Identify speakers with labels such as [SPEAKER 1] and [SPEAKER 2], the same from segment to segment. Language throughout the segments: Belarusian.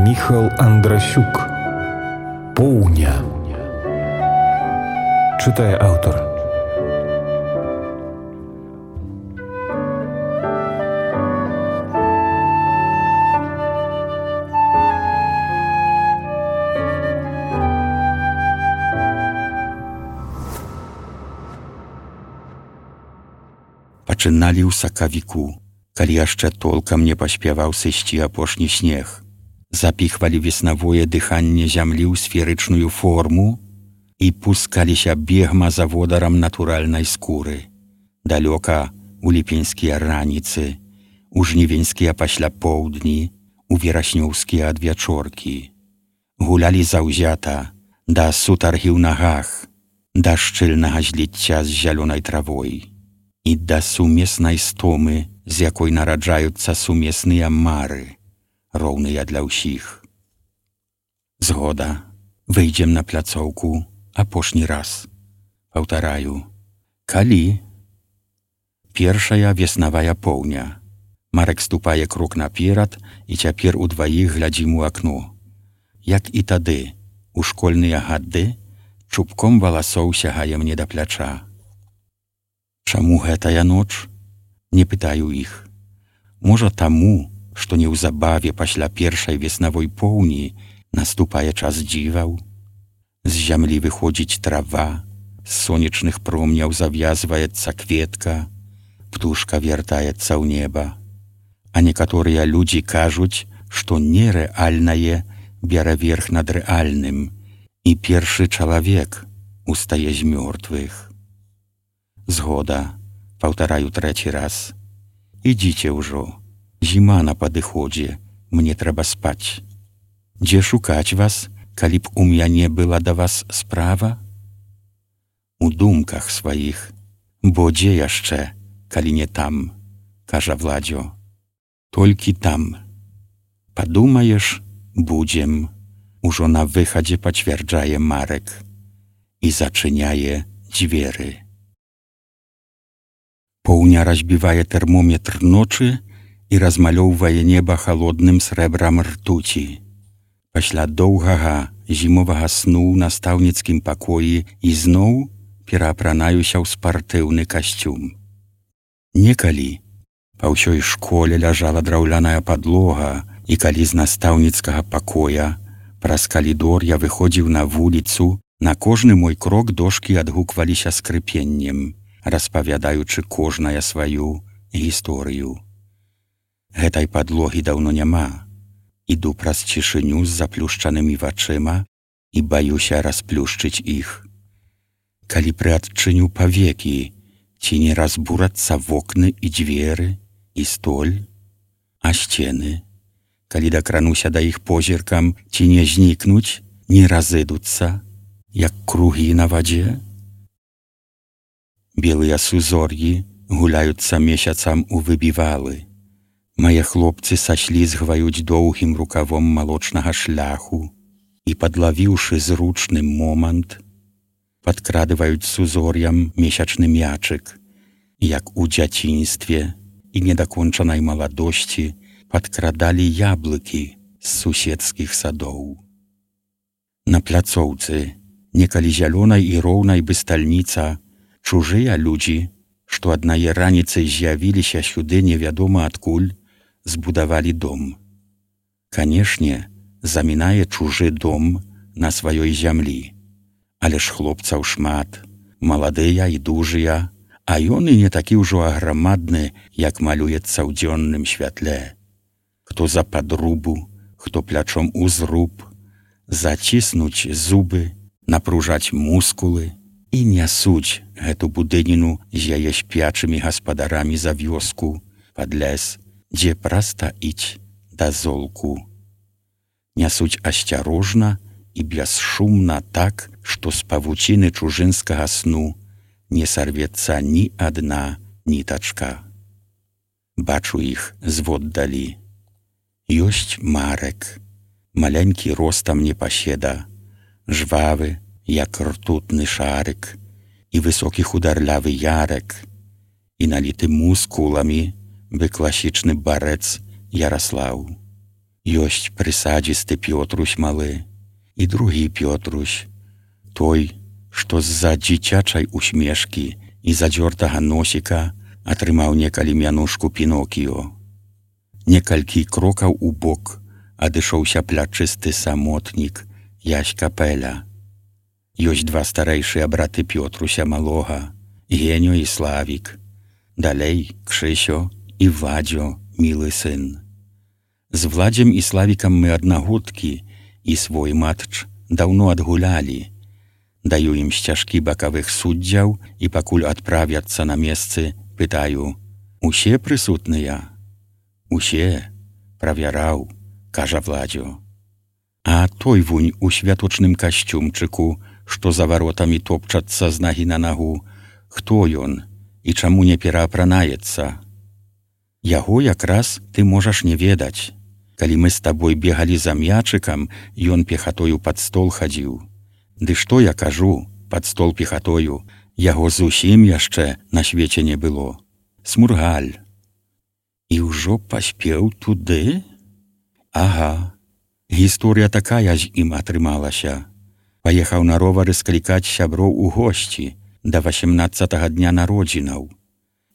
[SPEAKER 1] Міхал Андрасюк. Поўня. Чытае аўтар.
[SPEAKER 2] Пачыналі ў сакавіку, калі яшчэ толкам не паспяваў сысці апошні снег. Запіхвалі веснавое дыханне зямлі ў сферычную форму і пускаліся бегма за водарам натуральнай скуры. Далёка у ліпеньскія раніцы, у жнівеньскія пасля поўдні, у вераснёўскія адвячоркі. Гулялі заўзята да сутаргі ў нагах, да шчыльнага зліцця з зялёнай травой і да сумеснай стомы, з якой нараджаюцца сумесныя мары, роўныя для ўсіх. Згода, выйдзем на пляцоўку апошні раз. Паўтараю, калі? Першая веснавая поўня. Марек ступае крок наперад, і цяпер удваіх глядзім у акно. Як і тады, у школьныя гады, чубком валасоў сягае мне да пляча. Чаму гэтая ноч? Не пытаю іх. Можа таму, што неўзабаве пасля першай веснавой поўні наступае час дзіваў. З зямлі выходзіць трава, з сонечных промняў завязваецца кветка, птушка вяртаецца ў неба. А некаторыя людзі кажуць, што нерэальнае бярэ верх над рэальным, і першы чалавек устае з мёртвых. Згода, паўтараю трэці раз. Ідзіце ўжо, зіма на падыходзе, мне трэба спаць. Дзе шукаць вас, калі б у мяне была да вас справа? У думках сваіх, бо дзе яшчэ, калі не там, кажа Владзё. Толькі там. Падумаеш, будзем, ужо на выхадзе пацвярджае Марек і зачыняе дзверы. Поўня разбівае тэрмометр ночы і размалёўвае неба халодным срэбрам ртуці. Пасля доўгага зімовага сну ў настаўніцкім пакоі ізноў пераапранаюся ў спартыўны касцюм. Некалі па ўсёй школе ляжала драўляная падлога, і калі з настаўніцкага пакоя праз калідор я выходзіў на вуліцу, на кожны мой крок дошкі адгукваліся скрыпеннем, распавядаючы кожная сваю гісторыю. Гэтай падлогі даўно няма. Іду праз цішыню з заплюшчанымі вачыма і баюся расплюшчыць іх. Калі прыадчыню павекі, ці не разбурацца вокны і дзверы, і столь, а сцены, калі дакрануся да іх позіркам, ці не знікнуць, не разыдуцца, як кругі на вадзе? Белыя сузор'і гуляюцца месяцам у выбівалы. Мае хлопцы саслізгваюць доўгім рукавом малочнага шляху і, падлавіўшы зручны момант, падкрадываюць сузор'ям месячны мячык, як у дзяцінстве і недакончанай маладосці падкрадалі яблыкі з суседскіх садоў. На пляцоўцы, некалі зялёнай і роўнай бы стальніца, чужыя людзі, што аднае раніцай з'явіліся сюды невядома адкуль, збудавалі дом. Канешне, замінае чужы дом на сваёй зямлі. Але ж хлопцаў шмат, маладыя і дужыя, а ён і не такі ўжо аграмадны, як малюецца ў дзённым святле. Хто за падрубу, хто плячом у зруб, заціснуць зубы, напружаць мускулы і нясуць гэту будыніну з яе спячымі гаспадарамі за вёску пад лес, дзе прастаіць да золку. Нясуць асцярожна і бясшумна так, што з павуціны чужынскага сну не сарвецца ні адна нітачка. Бачу іх зводдалі. Ёсць Марек, маленькі ростам непаседа, жвавы, як ртутны шарык, і высокі хударлявы Ярек, і наліты мускуламі бы класічны барэц Яраслаў. Ёсць прысадзісты Пётрусь малы і другі Пётрусь, той, што з-за дзіцячай усмешкі і задзёртага носіка атрымаў некалі мянушку Пінокіё. Некалькі крокаў у бок адышоўся плячысты самотнік Ясь Капеля. Ёсць два старэйшыя браты Пётруся малога, Геню і Славік. Далей Кшысё і Вадзё, мілы сын. З Владзем і Славікам мы аднагодкі, і свой матч даўно адгулялі. Даю ім сцяжкі бакавых суддзяў і пакуль адправяцца на месцы, пытаю: «Усе прысутныя?» «Усе, правяраў», кажа Владзё. А той вунь у святочным касцюмчыку, што за варотамі топчацца з нагі на нагу, хто ён і чаму не пераапранаецца? Яго якраз ты можаш не ведаць. Калі мы з табой бегалі за мячыкам, ён пехатою пад стол хадзіў. Ды што я кажу, пад стол пехатою, яго зусім яшчэ на свеце не было. Смургаль. І ўжо паспеў туды? Ага. Гісторыя такая з ім атрымалася. Паехаў на ровары склікаць сяброў у госці да 18-го дня народзінаў.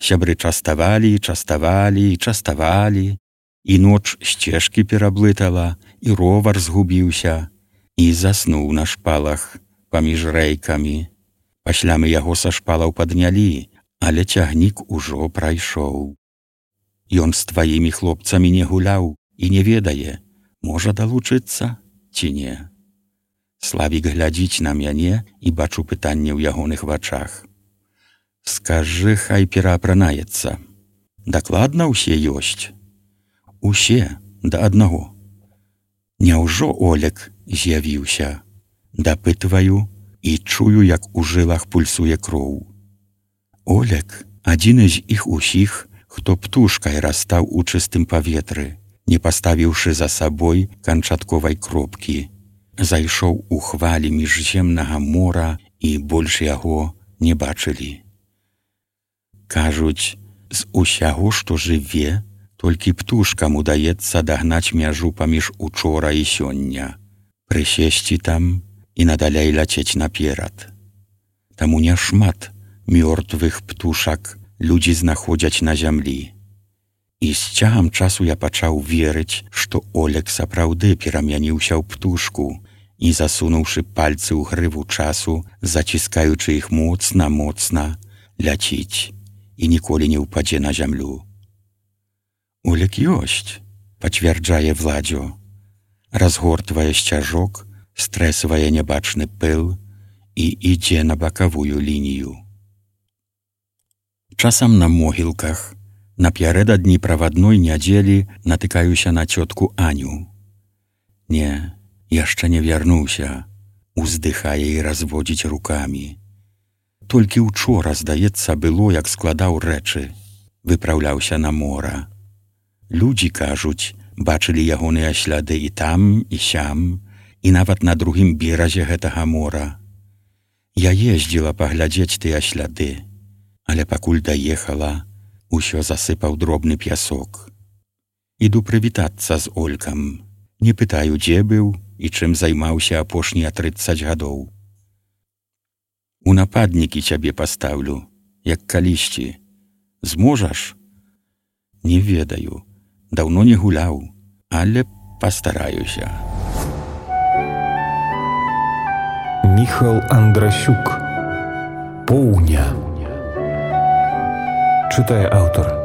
[SPEAKER 2] Сябры частавалі, частавалі, частавалі, і ноч сцежкі пераблытала, і ровар згубіўся, і заснуў на шпалах паміж рэйкамі. Пасля мы яго са шпалаў паднялі, але цягнік ужо прайшоў. Ён з тваімі хлопцамі не гуляў і не ведае, можа далучыцца ці не. Славік глядзіць на мяне і бачу пытанне ў ягоных вачах. Скажы, хай пераапранаецца. Дакладна ўсе ёсць? Усе, да аднаго. Няўжо Олег з'явіўся? Дапытваю і чую, як у жылах пульсуе кроў. Олег — адзіны з іх усіх, хто птушкай растаў у чыстым паветры, не паставіўшы за сабой канчатковай кропкі. Зайшоў у хвалі міжземнага мора і больш яго не бачылі. Кажуць, з усяго, што жыве, толькі птушкам удаецца дагнаць мяжу паміж учора і сёння, прысесці там і надалей ляцець наперад. Таму няшмат мёртвых птушак людзі знаходзяць на зямлі. І з цягам часу я пачаў верыць, што Олег сапраўды перамяніўся ў птушку і, засунуўшы пальцы ў грыву часу, заціскаючы іх моцна-моцна, ляціць і ніколі не ўпадзе на зямлю. Олег ёсць, пацвярджае Владзё. Разгортвае сцяжок, стрэсвае нябачны пыл і ідзе на бакавую лінію. Часам на могілках, напярэдадні правадной нядзелі натыкаюся на цётку Аню. Не, яшчэ не вярнуўся, уздыхае і разводзіць рукамі. Толькі учора, здаецца, было, як складаў рэчы, выпраўляўся на мора. Людзі, кажуць, бачылі ягоныя сляды і там, і сям, і нават на другім беразе гэтага мора. Я ездзіла паглядзець тыя сляды, але пакуль даехала, усё засыпаў дробны пясок. Іду прывітацца з Олькам. Не пытаю, дзе быў і чым займаўся апошнія 30 гадоў. У нападнікі цябе пастаўлю, як калісьці. Зможаш? Не ведаю. Даўно не гуляў, але пастараюся.
[SPEAKER 1] Міхал Андрасюк. Поўня. Чытае аўтар.